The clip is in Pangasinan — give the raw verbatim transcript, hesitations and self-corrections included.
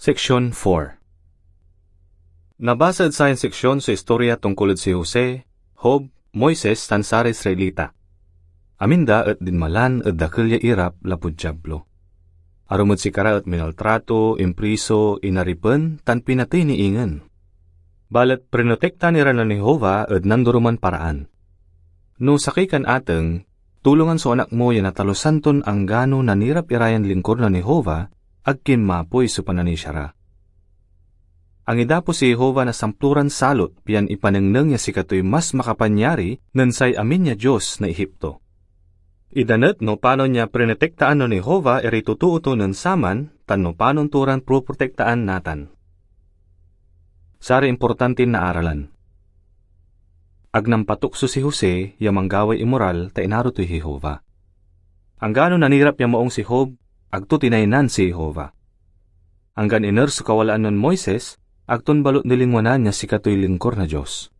Seksyon four. Nabasa ed sayan seksyon so istorya tungkol ed si Jose, Job, Moises, tan saray Israelita. Amin da et dinmalan ed dakel ya irap lapud Diablo. Arum ed sikara et minaltrato, impriso, inaripen, tan pinatey ni ingen. Balet prinotektaan ira nen Jehovah ed nandoroman paraan. No sakey kan ateng, tulongan so anak mo ya natalusan ton anggano nanirap irayan lingkor nen Jehovah, ag kinmapoy so pananisia ra. Angidapo si Jehovah na samploran salot pian ipanengneng ya sikatoy mas makapanyari nen say amin ya dios na Egipto. Ida met no panon ya prinotektaan nen Jehovah iray totoo to nen saman tan no panon to ran proprotektaan natan. Saray importantin naaralan. Ag nampatukso si Jose ya manggaway imoral ta inaro toy Jehovah. Anggano nanirap ya maung si Job, ag to tinaynan si Jehovah. Anggan iner so kawalaan nen Moises, ag ton balut nilingwanan ya sikatoy lingkor na Dios.